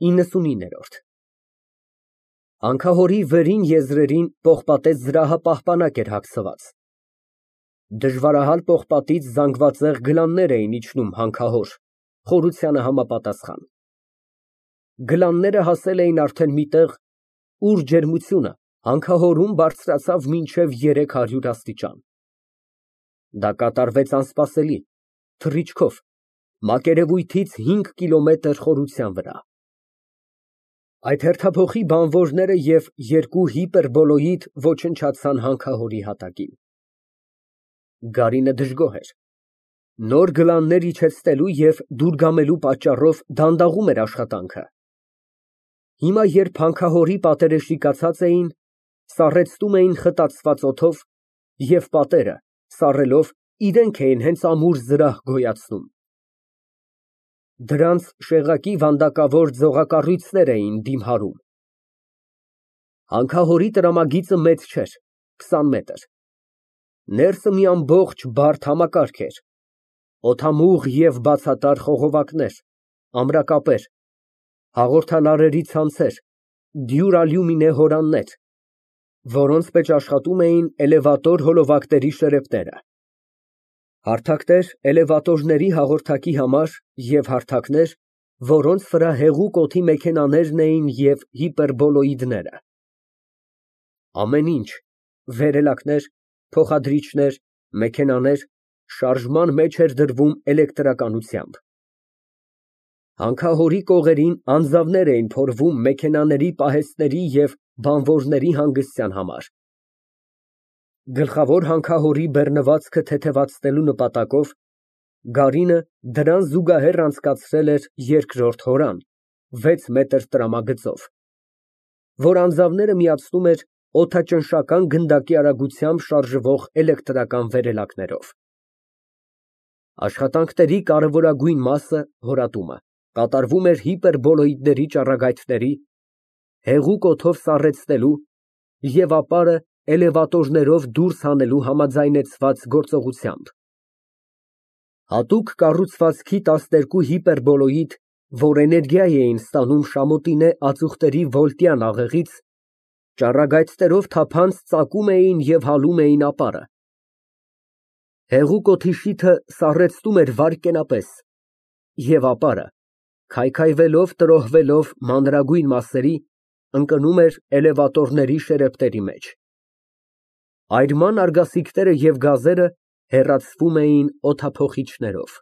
99։ Հանքահորի վերին եզրերին պողպատե զրահապահպանակ էր հագցված։ Դժվարահալ պողպատից զանգվածեղ գլաններ էին իջնում հանքահոր, խորությանը համապատասխան։ Գլանները հասել էին արդեն մի տեղ, ուր ջերմությունը հանքահորում բարձրացավ մինչև 300 աստիճան։ Դա կատարվեց անսպասելի, թռիչքով, մակերևույթից 5 կիլոմետր խորության վրա։ Այդ հերթափոխի բանվորները և երկու հիպերբոլոիդ ոչնչացան հանքահորի հատակին։ Գարինը դժգոհ էր։ Նոր գլաններ իջեցնելու և դուրգամելու պատճառով դանդաղում էր աշխատանքը։ Հիմա, երբ հանքահորի պատերը շիկացած էին, սառեցնում էին խտացված օդով և պատերը, սառելով, իրենք էին հենց ամուր զրահ գոյացնում։ Դրանց շեղակի վանդակավոր ձողակառույցներ էին դիմհարում։ Հանքահորի տրամագիծը մեծ չէր, 20 մետր։ Ներսը մի ամբողջ բարդ համակարգ էր, օդամուղ և բացատար խողովակներ, ամրակապեր, հաղորդալարերի ցանցեր, դյուրալյումինե հորաններ, որոնց մեջ աշխատում էին էլևատոր հոլովակների շերեփները, հարթակներ էլևատորների հաղորդակի համար և հարթակներ, որոնց վրա հեղուկ օդի մեքենաներն էին և հիպերբոլոիդները։ Ամեն ինչ, վերելակներ, փոխադրիչներ, մեքենաներ, շարժման մեջ էր դրվում էլեկտրականությամբ։ Հանքահորի կողերին անձավներ էին փորվում մեքենաների պահեստների և բանվորների հանգստյան համար։ Գլխավոր հանքահորի բեռնվածքը թեթևացնելու նպատակով Գարինը դրան զուգահեռ անցկացրել էր երկրորդ հորան, 6 մետր տրամագծով, որ անձավները միացնում էր օդաճնշական գնդակի արագությամբ շարժվող էլեկտրական վերելակներով։ Աշխատանքների կարևորագույն մասը, հորատումը, կատարվում էր հիպերբոլոիդների ճառագայթների, հեղուկ օդով սառեցնելու և ապարը էլևատորներով դուրս հանելու համաձայնեցված գործողությամբ։ Հատուկ կառուցվածքի 12 հիպերբոլոիդ, որ էներգիա էին ստանում շամոտինե ածուխտերի վոլտյան աղեղից, ճառագայթներով թափանց ծակում էին և հալում էին ապարը։ Հեղուկ օդի շիթը սառեցնում էր վայրկենապես, և ապարը, քայքայվելով, տրոհվելով մանրագույն մասերի, ընկնում էր էլևատորների շերեփների մեջ։ Այրման արգասիքները և գազերը հեռացվում էին օդափոխիչներով։